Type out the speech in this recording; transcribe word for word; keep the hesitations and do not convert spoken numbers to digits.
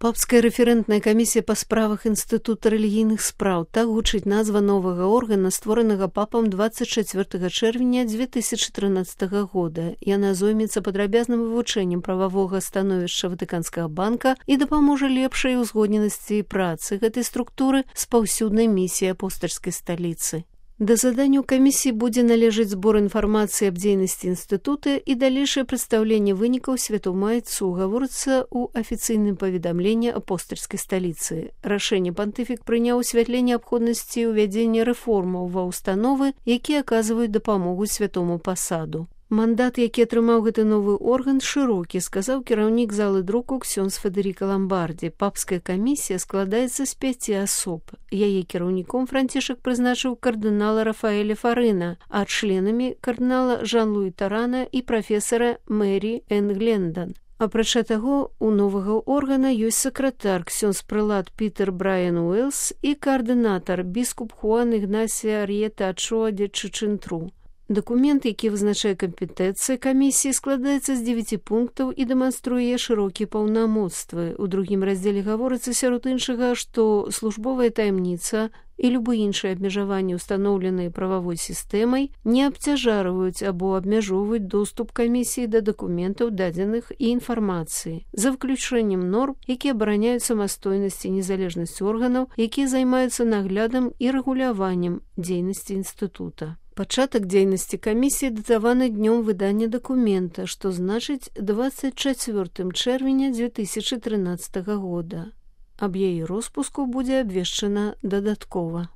Папская рэферэнтная камісія па справах Інстытута рэлігійных спраў, так гучыць назва новага органа, створанага папам дваццаць чацвёртага чэрвеня дзве тысячы трынаццатага года. Яна зоймецца падрабязным вывучэннем прававога становішча Ватыканскага банка і дапаможа лепшай узгодненасці працы гэтай структуры з паўсюднай місіяй апостальскай сталіцы. Да заданню камісіі будзе належыць збор інфармацыі аб дзейнасці інстытута і далейшае прадстаўленне вынікаў святому айцу, гаворыцца ў афіцыйным паведамленні апостальскай сталіцы. Рашэнне пантыфік прыняў у святле неабходнасці ўвядзення рэформаў ва ўстановы, якія аказваюць дапамогу святому пасаду. Мандат, які атрымаў гэты новы орган, шырокі, сказаў кіраўнік залы друку ксёндз Федэріка Ламбардзі. Папская камісія складаецца з пяці асоб. Яе кіраўніком Францішак прызначыў кардынала Рафаэля Фарына, а членамі кардынала Жан-Луі Тарана і прафесара Мэрі Эн Глендон. Апрача таго, у новага органа ёсць сакратар ксёндз прэлат Пітер Брайан Уэлс і каардынатар біскуп Хуан Ігнасія Ар'ета Ачоа де Чычынтру. Дакумент, які вызначае кампетэнцыі камісіі, складаецца з дзевяці пунктаў і дэманструе шырокія паўнамоцтвы. У другім раздзеле гаворыцца сярод іншага, што службовая таямніца і любы іншыя абмежаванні, устаноўленыя прававой сістэмай, не абцяжарваюць або абмяжоўваюць доступ камісіі да дакументаў, дадзеных і інфармацыі, за выключэннем норм, якія абараняюць самастойнасць і незалежнасць органаў, якія займаюцца наглядам і рэгуляваннем дзейнасці інстытута. Пачатак дзейнасці камісіі датаваны днём выдання дакумента, што значыць дваццаць чацвёртым чэрвеня дзве тысячы трынаццатага года. Аб яе роспуску будзе абвешчана дадаткова.